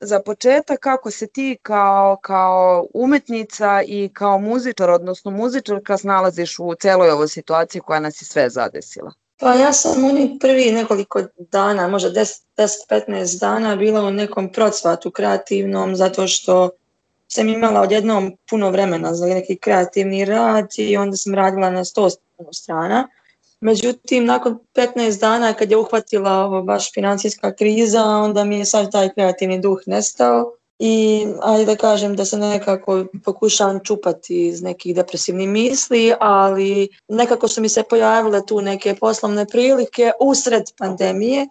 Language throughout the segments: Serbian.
za početak kako se ti kao umetnica i kao muzičar, odnosno muzičarka, snalaziš u celoj ovoj situaciji koja nas je sve zadesila? Pa ja sam u njih prvi nekoliko dana, možda 10-15 dana bila u nekom procvatu kreativnom zato što sam imala odjednom puno vremena za neki kreativni rad i onda sam radila na 100 strana. Međutim, nakon 15 dana kad je uhvatila ovo baš financijska kriza, onda mi je sad taj kreativni duh nestao i ajde da kažem da se nekako pokušavam čupati iz nekih depresivnih misli, ali nekako su mi se pojavile tu neke poslovne prilike usred pandemije,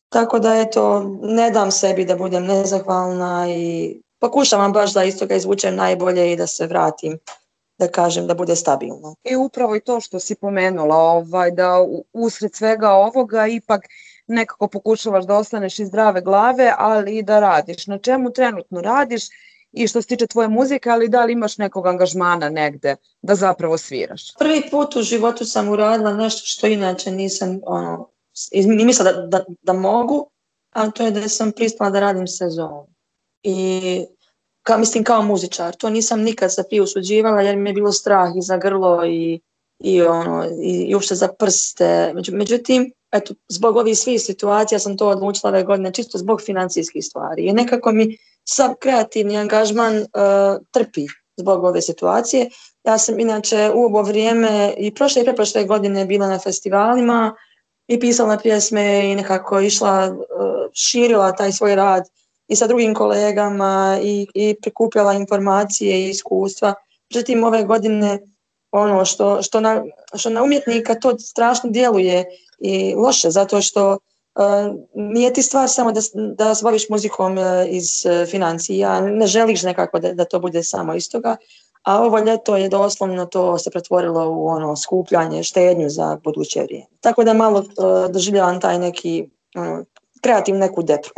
tako da eto, ne dam sebi da budem nezahvalna i pokušavam baš da iz toga izvučem najbolje i da se vratim, da kažem, da bude stabilno. I upravo i to što si pomenula, da usred svega ovoga ipak nekako pokušavaš da ostaneš iz zdrave glave, ali i da radiš. Na čemu trenutno radiš i što se tiče tvoje muzike, ali da li imaš nekog angažmana negde da zapravo sviraš? Prvi put u životu sam uradila nešto što inače nisam ni mislila da mogu, a to je da sam pristala da radim sezonu. I kao muzičar. To nisam nikad se prije usuđivala jer mi je bilo strah i za grlo i uopšte za prste. Međutim, eto, zbog ovih svih situacija sam to odlučila ove godine, čisto zbog financijskih stvari. I nekako mi sav kreativni angažman trpi zbog ove situacije. Ja sam inače u ovo vrijeme i prošle i preprošle godine bila na festivalima i pisala pjesme i nekako išla, širila taj svoj rad i sa drugim kolegama i prikupljala informacije i iskustva. Međutim, ove godine ono što na umjetnika to strašno djeluje i loše, zato što nije ti stvar samo da se baviš muzikom iz financija, ne želiš nekako da to bude samo iz toga, a ovo ljeto je doslovno to se pretvorilo u skupljanje, štednju za buduće vrijeme. Tako da malo doživljavam taj neki kreativnu neku depru.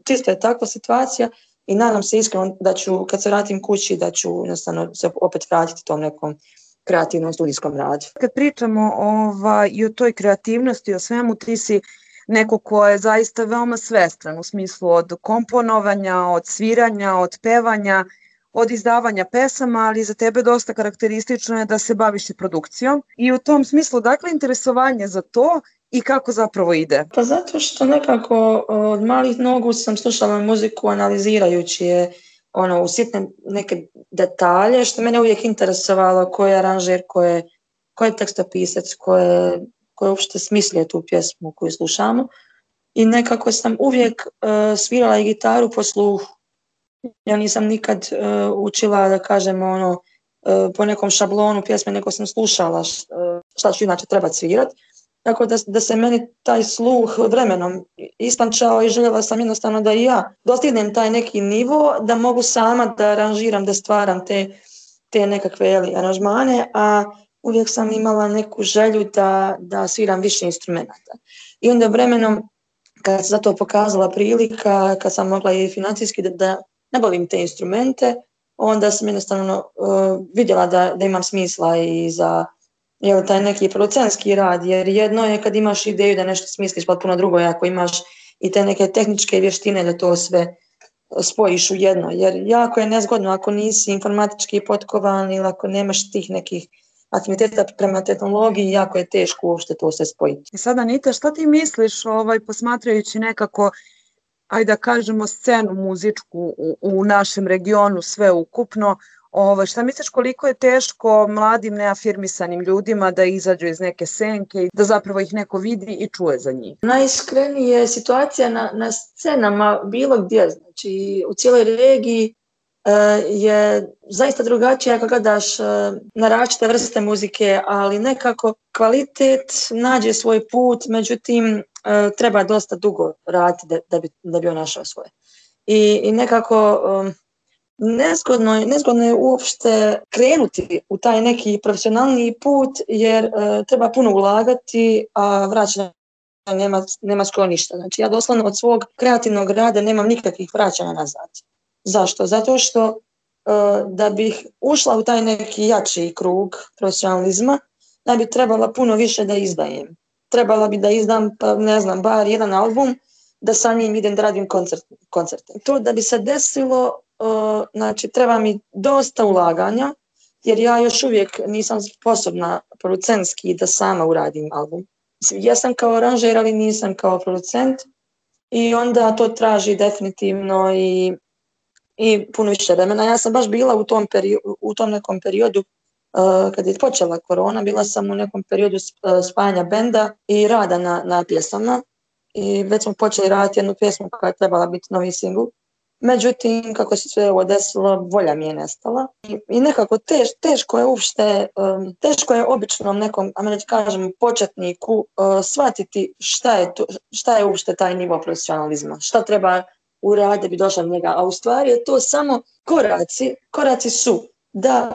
Čisto je takva situacija i nadam se iskreno da ću, kad se vratim kući, da ću jednostavno se opet vratiti tom nekom kreativnom studijskom radu. Kad pričamo i o toj kreativnosti, o svemu, ti si neko ko je zaista veoma svestran u smislu od komponovanja, od sviranja, od pevanja, od izdavanja pesama, ali za tebe dosta karakteristično je da se baviš i produkcijom. I u tom smislu, dakle, interesovanje za to i kako zapravo ide? Pa zato što nekako od malih nogu sam slušala muziku analizirajući je u sitne neke detalje, što mene uvijek interesovalo, ko je aranžer, ko je tekstopisac, ko je uopšte smislio tu pjesmu koju slušamo. I nekako sam uvijek svirala i gitaru po sluhu. Ja nisam nikad učila, da kažem, po nekom šablonu pjesme, nego sam slušala šta ću inače trebati svirati. Tako da se meni taj sluh vremenom istančao i željela sam jednostavno da i ja dostignem taj neki nivo, da mogu sama da aranžiram, da stvaram te nekakve aranžmane, a uvijek sam imala neku želju da sviram više instrumenta. I onda vremenom, kad se za to pokazala prilika, kad sam mogla i financijski da nabavim te instrumente, onda sam jednostavno vidjela da imam smisla i za taj neki producentski rad, jer jedno je kad imaš ideju da nešto smisliš, pa puno drugo je ako imaš i te neke tehničke vještine da to sve spojiš u jedno, jer jako je nezgodno ako nisi informatički potkovan ili ako nemaš tih nekih afiniteta prema tehnologiji, jako je teško uopšte to sve spojiti. I sada, Anita, šta ti misliš posmatrajući nekako, ajde da kažemo, scenu muzičku u našem regionu sve ukupno, šta misliš koliko je teško mladim neafirmisanim ljudima da izađu iz neke senke i da zapravo ih neko vidi i čuje za njih? Najiskrenije situacija na scenama bilo gdje, znači u cijeloj regiji je zaista drugačija ako gledaš na različite vrste muzike, ali nekako kvalitet nađe svoj put, međutim treba dosta dugo raditi da bi on našao svoje. I nekako nezgodno je uopšte krenuti u taj neki profesionalni put jer treba puno ulagati, a vraćanja nema skoro ništa. Znači ja doslovno od svog kreativnog rada nemam nikakvih vraćanja nazad. Zašto? Zato što da bih ušla u taj neki jači krug profesionalizma, da bi trebala puno više da izdajem. Trebala bi da izdam, bar jedan album da sa njim idem da radim koncerte. To da bi se desilo, znači treba mi dosta ulaganja, jer ja još uvijek nisam sposobna producentski da sama uradim album. Ja sam kao aranžer, ali nisam kao producent i onda to traži definitivno i puno više vremena. Ja sam baš bila u tom nekom periodu kad je počela korona, bila sam u nekom periodu spajanja benda i rada na pjesama i već smo počeli raditi jednu pjesmu koja je trebala biti novi singl. Međutim, kako se sve ovo desilo, volja mi je nestala i nekako teško je uopšte, teško je običnom nekom, kažem, početniku shvatiti šta je uopšte taj nivo profesionalizma, šta treba uraditi da bi došla do njega, a u stvari je to samo koraci su da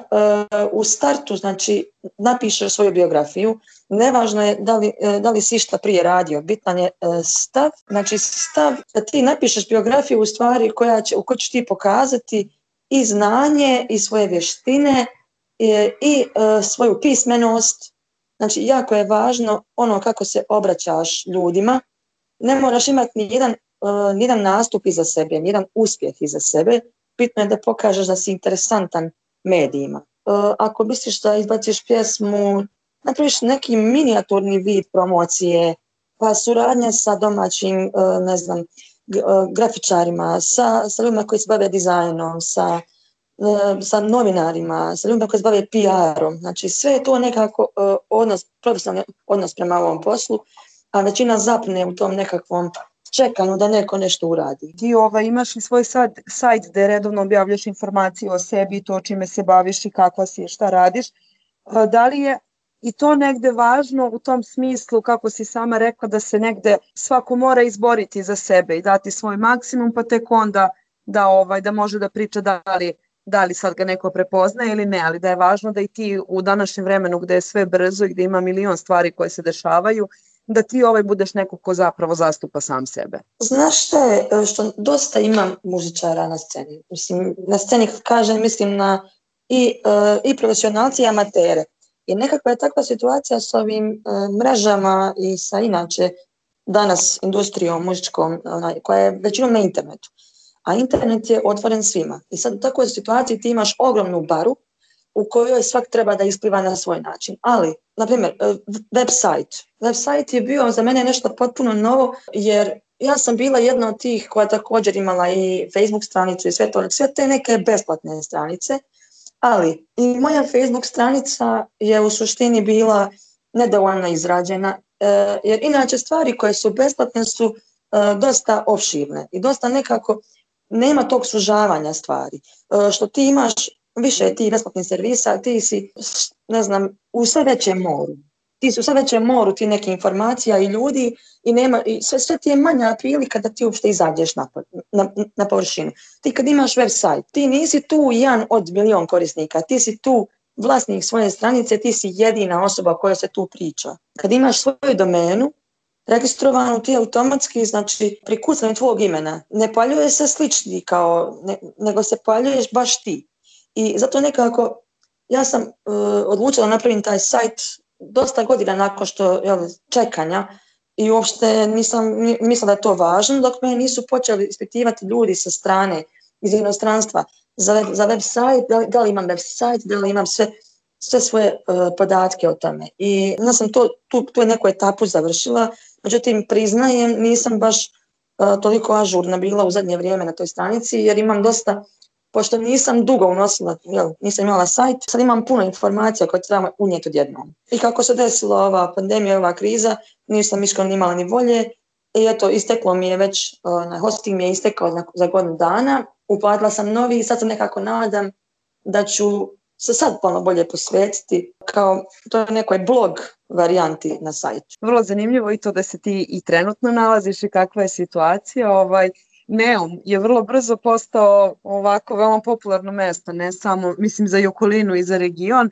u startu, znači, napišeš svoju biografiju, nevažno je da li si šta prije radio, bitan je stav, znači stav da ti napišeš biografiju u stvari u kojoj ćeš ti pokazati i znanje i svoje vještine i svoju pismenost, znači jako je važno ono kako se obraćaš ljudima, ne moraš imati nijedan nastup iza sebe, nijedan uspjeh iza sebe, bitno je da pokažeš da si interesantan medijima. Ako misliš da izbaciš pjesmu, napraviš neki minijaturni vid promocije, pa suradnja sa domaćim, grafičarima, sa ljudima koji se bave dizajnom, sa novinarima, sa ljudima koji se bave PR-om. Znači sve je to nekako profesionalni odnos prema ovom poslu, a većina zapne u tom nekakvom čekanju da neko nešto uradi. Ti imaš i svoj sajt gde redovno objavljaš informacije o sebi, to čime se baviš i kako si, šta radiš. Da li je i to negde važno u tom smislu, kako si sama rekla, da se negde svako mora izboriti za sebe i dati svoj maksimum, pa tek onda da može da priča da li sad ga neko prepoznaje ili ne, ali da je važno da i ti u današnjem vremenu gde je sve brzo i gde ima milion stvari koje se dešavaju, da ti budeš neko ko zapravo zastupa sam sebe. Znaš šta je, što dosta ima muzičara na sceni. Mislim, na sceni kad kažem, mislim na i profesionalci i amatere. I nekakva je takva situacija s ovim mrežama i sa inače danas industrijom muzičkom koja je većinom na internetu. A internet je otvoren svima. I sad u takvoj situaciji ti imaš ogromnu baru u kojoj svak treba da ispliva na svoj način. Ali, na primjer, website. Website je bio za mene nešto potpuno novo, jer ja sam bila jedna od tih koja također imala i Facebook stranicu i sve te neke besplatne stranice, ali i moja Facebook stranica je u suštini bila nedovoljno izrađena, jer inače stvari koje su besplatne su dosta opširne i dosta nekako nema tog sužavanja stvari. Što ti imaš više tih besplatnih servisa, ti si, u sve većem moru. Ti si u sve većem moru ti neke informacija i ljudi i sve ti je manja prilika da ti uopšte izađeš na površinu. Ti kad imaš website, ti nisi tu jedan od milion korisnika, ti si tu vlasnik svoje stranice, ti si jedina osoba koja se tu priča. Kad imaš svoju domenu, registrovanu ti automatski, znači pri kucanju tvog imena, ne pojavljuje se slični nego se pojavljuješ baš ti. I zato nekako ja sam odlučila napraviti taj sajt dosta godina nakon što čekanja i uopšte nisam mislila da je to važno dok me nisu počeli ispitivati ljudi sa strane iz inostranstva za web sajt, da li imam web sajt, da li imam sve svoje podatke o tome. I ja sam tu neku etapu završila, međutim priznajem nisam baš toliko ažurna bila u zadnje vrijeme na toj stranici jer imam dosta, pošto nisam dugo unosila, nisam imala sajt, sad imam puno informacija koje trebam unijeti odjednom. I kako se desila ova pandemija, ova kriza, nisam iskreno imala ni volje i eto, isteklo mi je već, hosting mi je istekao za godinu dana, uplatila sam novi i sad se nekako nadam da ću se sad puno bolje posvetiti kao to nekoj blog varijanti na sajtu. Vrlo zanimljivo i to da se ti i trenutno nalaziš i kakva je situacija. Neum je vrlo brzo postao ovako veoma popularno mesto, ne samo, mislim, za i okolinu i za region.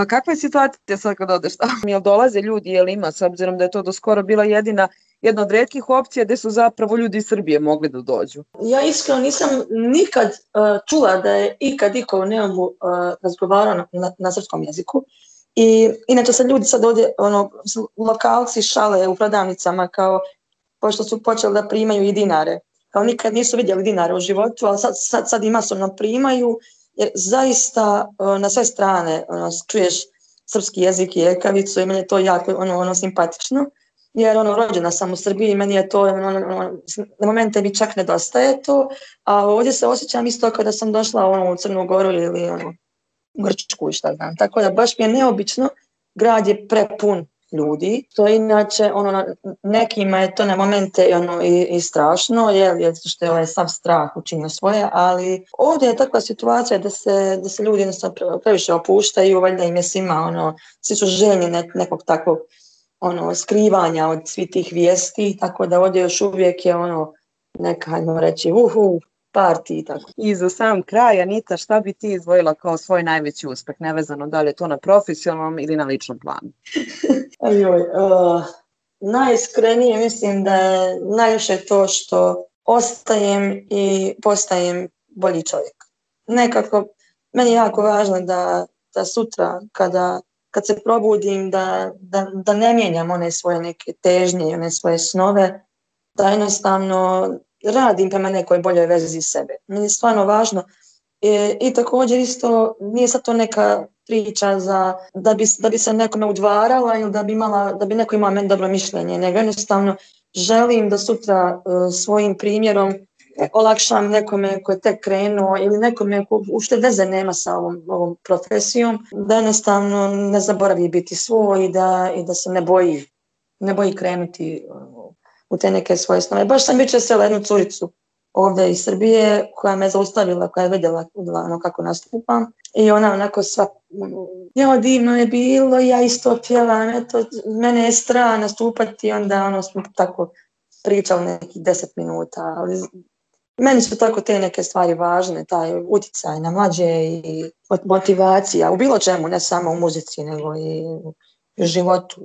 Kakva je situacija sad kad odeš tamo? Jel dolaze ljudi, jel ima, s obzirom da je to do skoro bila jedna od retkih opcija gde su zapravo ljudi iz Srbije mogli da dođu? Ja iskreno nisam nikad čula da je ikad iko u Neumu razgovarao na srpskom jeziku. I inače se ljudi sad ovdje, lokalci šale u prodavnicama kao pošto su počeli da primaju i dinare. Kao nikad nisu vidjeli dinare u životu, ali sad i masovno primaju, jer zaista na sve strane čuješ srpski jezik i ekavicu i meni je to jako simpatično. Jer rođena sam u Srbiji i meni je to, na momente mi čak nedostaje to, a ovdje se osjećam isto kada sam došla u Crnu Goru ili u Grčku i šta znam. Tako da baš mi je neobično, grad je prepun ljudi, to inače nekima je to na momente i strašno, jer što je ovaj sav strah učinio svoje, ali ovdje je takva situacija da se ljudi previše opuštaju, valjda im je svima, svi su željni nekog takvog skrivanja od svih tih vijesti, tako da ovdje još uvijek je neka, hajmo reći, party i tako. I za sam kraj, Anita, šta bi ti izdvojila kao svoj najveći uspeh, nevezano da li je to na profesionalnom ili na ličnom planu? Najiskrenije mislim da je najviše to što ostajem i postajem bolji čovjek. Nekako, meni je jako važno da sutra kad se probudim da ne mijenjam one svoje neke težnje i one svoje snove, da jednostavno radim prema nekoj boljoj vezi sebe. Meni je stvarno važno i također isto nije sad to neka priča da bi se nekome udvarala ili da bi neko imao meni dobro mišljenje, nego jednostavno želim da sutra svojim primjerom olakšam nekome ko je tek krenuo ili nekome ko uopšte veze nema sa ovom profesijom, da jednostavno ne zaboravi biti svoj i da se ne boji krenuti u te neke svoje snove. Baš sam jučer srela jednu curicu ovdje iz Srbije koja me zaustavila, koja je vidjela kako nastupam i ona onako sva, divno je bilo, ja isto pjevam, mene je strah nastupati, onda smo tako pričali nekih 10 minuta, ali meni su tako te neke stvari važne, taj utjecaj na mlađe i motivacija u bilo čemu, ne samo u muzici, nego i u životu.